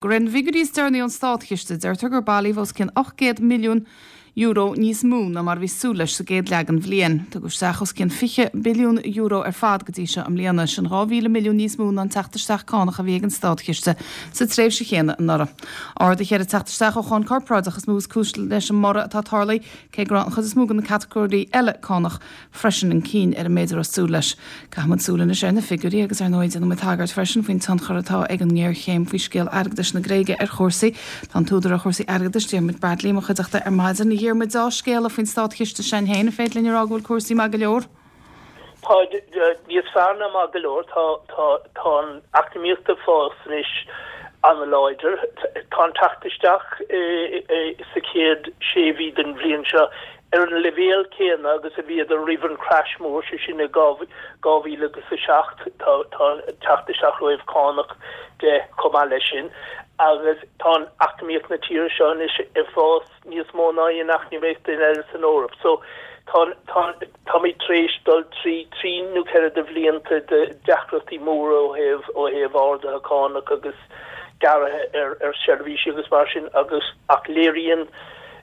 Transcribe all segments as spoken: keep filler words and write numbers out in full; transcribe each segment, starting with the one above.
De réir na bhfigiúirí is deireanaí ón Státchiste, deirtear gur bailíodh os cionn ocht gcéad milliún euro níos mó ná mar a bhí súil leis sa gcéad leath den bhliain. Tugadh isteach os cionn fiche billiún euro ar fad go dtí seo i mbliana, sin dhá mhíle milliún níos mó ná an teacht isteach cánach a bhí ag an Státchiste sa tréimhse chéanna anuraidh. Arduithe ar an teacht isteach ó cháin corparáideach is mó is cúis leis an mborradh atá tarlaithe, cé go raibh an chuid is mó de na catagóirí eile cánach freisin chun cinn ar an méid a raibh súil leis. Caithfimid súil anois ar na figiúirí agus ar ndóigh déanfaimid tagairt freisin faoin tionchar atá ag an ngéarchéim faoi scéal airgeadais na Gréige ar chúrsaí. Tá an t-údar ar chúrsaí airgeadais Diarmuid Bradley i mo chuideachta ar maidin. A Dhiarmuid, dea-scéala faoin Státchiste sin féin, an féidir linn a rá go bhfuil cúrsaí maith go leor? Tá níos fearr ná maith go leor, tá tá tá an eacnamaíocht ag fás anois an-láidir. Tá an teacht isteach sa chéad sé mhí den bhliain seo ar an leibhéal céanna agus a bhíodar roimh an crash mór, sé sin i dhá mhíle agus a seacht. Tá tá teacht isteach ó thaobh cánach de chomh maith leis sin agus tá an eacnamaíocht na tíre seo anois ag fás níos mó ná aon eacnamaíocht eile san Eoraip. So tá tá táimid tar éis dul trí trí nó ceithre de bhlianta de deacrachtaí móra ó thaobh ó thaobh arduithe cánach agus gearraithe ar ar seirbhísí agus mar sin agus ach léiríonn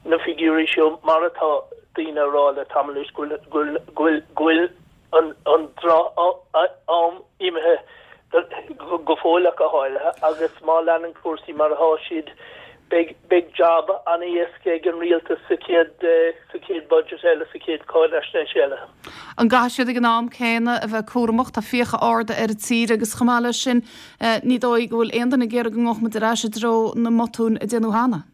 na figiúirí seo mar atá daoine ag rá le tamall anois go bhfuil go bhfuil go bhfuil an an droch-am imithe go fóill ach go háirithe agus má leanann cúrsaí mar atá siad beidh beidh jab an-éasca ag an rialtas sa chéad sa chéad budget eile sa chéad cáinaisnéis eile. An gcaithfidh siad ag an am céanna a bheith cúramach tá fiacha arda ar an tír agus chomh maith leis sin ní dóigh go bhfuil aon duine ag iarraidh go ngabhfaidh muid ar ais i dtreo na mbotún a déanadh cheana.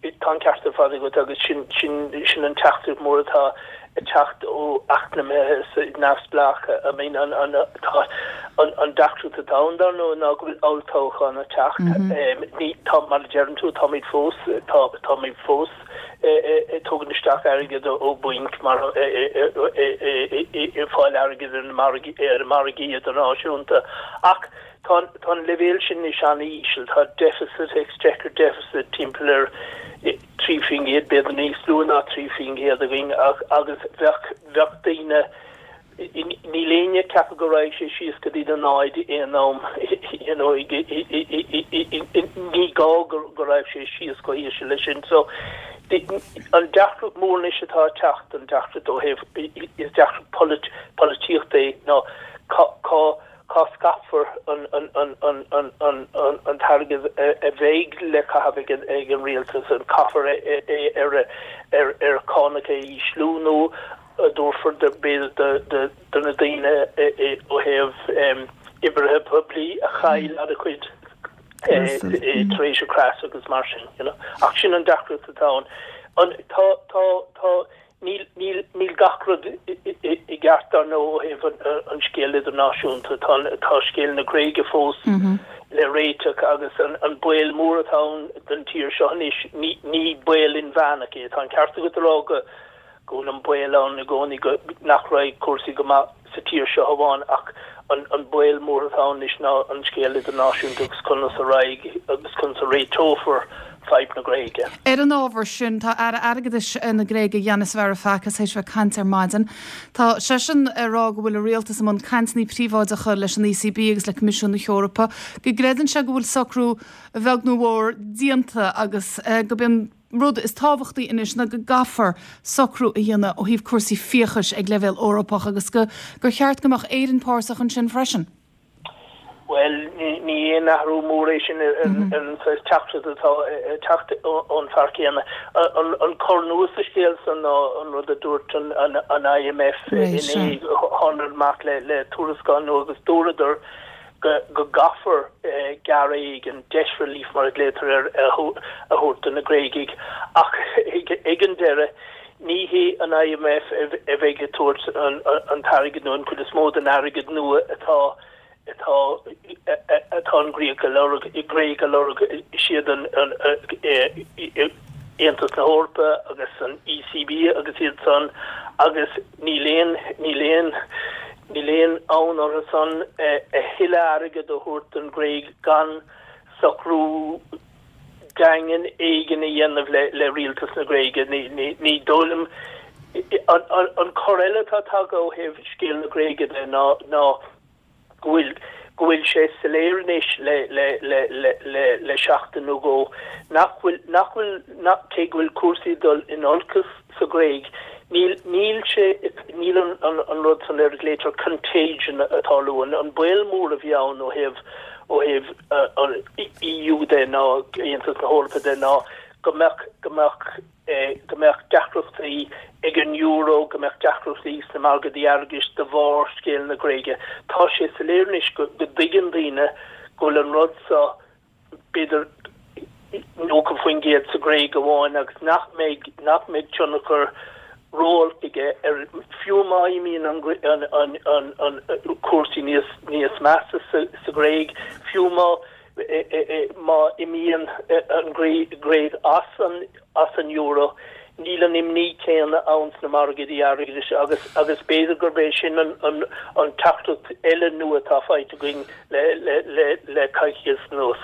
Tá an ceart ar fad agat agus sin sin sin an teachtaireacht mór atá ag teacht ó eacnamaithe neamhspleácha. I mean an an tá an an deacracht atá ann dar ndóigh ná go bhfuil olltoghchán ag teacht. Ní tá mar a deireann tú táimid fós tá táimid fós ag tógaint isteach airgead ó bhainc mar ag fáil airgead ar na margaí ar na margaí idirnáisiúnta ach tá tá an leibhéal sin níos an-íseal, tá deficit exchequer deficit timpeall ar trí faoin gcéad b'fhéidir níos lú ná trí faoin gcéad againn ach agus bheadh bheadh daoine níl éinne ag ceapadh go raghaidh sé síos go dtí na náid aon am you know ní gá go go raibh sé síos go híseal leis sin so an deacracht mór anois atá ag teacht an deacracht ó thaobh is deacracht polit polaitíochta é ná cá cá cá scaipfear an an an an an an an an t-airgead a bheidh le caitheamh ag an ag an rialtas an caithfear é é ar ar ar cánacha a ísliú nó a dtabharfar de b'fhéidir de de de na daoine ó thaobh oibrithe poiblí a chaill an-chuid tar éis an crash agus mar sin you know. Ach sin an deacracht atá ann. An tá tá tá níl níl níl gach rud i gceart dar ndóigh ó thaobh an scéal idirnáisiúnta tá tá scéal na Gréige fós le réiteach agus an an baol mór atá ann don tír seo anois ní ní baol inmheánach é tá an ceart agat a rá go go bhfuil an baol ann i gcónaí go nach raghaidh cúrsaí go maith sa tír seo amháin ach an an baol mór atá ann anois ná an scéal idirnáisiúnta agus conas a raghaidh agus conas a réiteofar fadhb na Gréige. Ar an ábhar sin tá Aire Airgeadais na Gréige Yanis Varoufakis théis bheith ag caint ar maidin. Tá seisean ag rá go bhfuil a rialtas i mbun cainteanna príobháideacha leis an ECB agus le Coimisiún na hEorpa, go gcreideann sé go bhfuil socrú a bheag nó a mhór déanta agus go b'in rud is tábhachtaí anois ná go gcaithfear socrú a dhéanamh ó thaobh cúrsaí fiachais ag leibhéal Eorpach agus go gur cheart go mbeadh Éirinn páirteach ansin freisin. Well ní aon athrú mór é sin an teachtaireacht atá teacht ón fear céanna. An cor nua sa scéal san ná an rud a dúirt an an IMF inné tháinig amach le le tuarascáil nua agus dúradar go go gcaithfear gearradh éigin debt relief mar a glaotar air a thabhairt do na Gréagaigh ach ag an deireadh ní hé an IMF a bheidh ag tabhairt an t-airgead nó an chuid is mó den airgead nua atá atá atá an Gréig a lorg i Gréig a lorg siad an Aontas na hEorpa agus an ECB agus iad san agus níl aon níl aon níl aon fhonn orthu san a thuilleadh airgead a thabhairt don Ghréig gan socrú daingean éigin a dhéanamh le le rialtas na Gréige ní ní ní dóigh liom an cor eile atá tagtha ó thaobh scéal na Gréige de ná ná go bhfuil go bhfuil sé soiléir anois le le le le le le seachtain nó dhó nach bhfuil nach bhfuil nach cé go bhfuil cúrsaí ag dul in olcas sa Ghréig níl níl sé níl an an an rud san ar a nglaoitear contagion ag tarlú an an baol mór a bhí ann ó thaobh ó thaobh an EU de ná Aontas na hEorpa de ná go mbeadh go mbeadh go mbeadh deacrachtaí ag an euro go mbeadh deacrachtaí sna margaí airgeadais de bharr scéal na Gréige. Tá sé soiléir anois go dtuigeann daoine go bhfuil an rud seo b'fhéidir nócha faoin gcéad sa Ghréig amháin agus nach mbeidh nach mbeidh tionchar ró-olc aige ar fiú má imíonn an an an an an cúrsaí níos níos measa sa sa Ghréig fiú má má imíonn an Ghréig as an as an euro níl an imní céanna ann sna margaí airgeadais agus agus b'fhéidir gurb é sin an an an teachtaireacht eile nua atá faighte againn le le le le coicís anuas.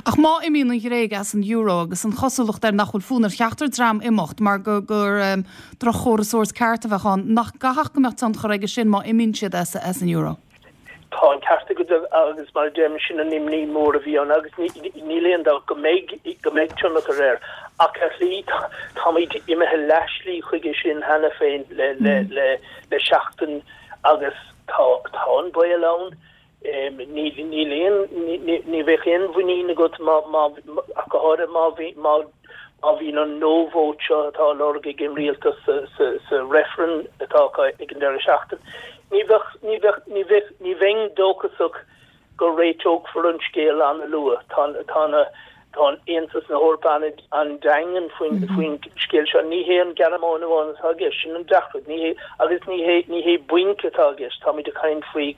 Ach má imíonn an Ghréig as an euro agus an chosúlacht air nach bhfuil fonn ar cheachtar dream imeacht mar gur gur um, drochchóras sórt ceart a bheadh ann nach gcaithfeadh go mbeadh tionchar aige sin má imíonn siad as, as an euro. Tá an ceart agat agus mar dem sin an imní mór a bhí ann agus níl aon dabht go mbeidh go mbeidh tionchar air ach ar shlí táimid imithe leathshlí chuige sin cheana féin le le le le seachtain agus tá tá an baol ann ní níl aon ní bheadh aon mhuinín agat má má ach go háirithe má bhí má má bhíonn an no vote seo atá lorg ag an rialtas sa sa sa referendum atá ag an deireadh seachtain. Ní bheadh ní bheadh ní bheadh ní bheinn dóchasach go réiteofar an scéal an-luath tá tá na tá Aontas na hEorpa an-daingean faoin faoin scéal seo ní hé an Ghearmáin amháin atá i gceist sin an deacracht ní hé agus ní hé ní hé bainc atá i gceist táimid ag caint faoi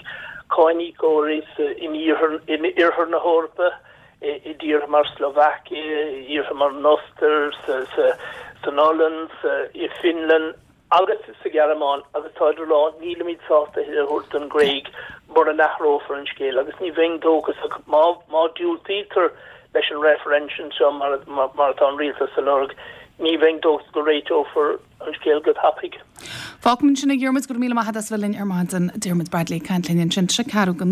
cáiníocóirí in iarthar in iarthar na hEorpa i dtíortha mar Slovakia, tíortha mar an Ostair sa sa san Ollainn sa i Finland agus sa Ghearmáin agus tá lá nílimid sásta a thabhairt don Ghréig mura n-athrófar an scéal agus ní bheinn dóchasach má má diúltaítear leis an referendum seo mar mar mar atá an rialtas ag lorg ní bheinn dóchasach go réiteofar an scéal go tapaidh. Fágfaimid sin a Dhiarmuid go míle maith as bheith linn ar maidin Diarmuid Bradley ag caint linn ansin sé ceathrú go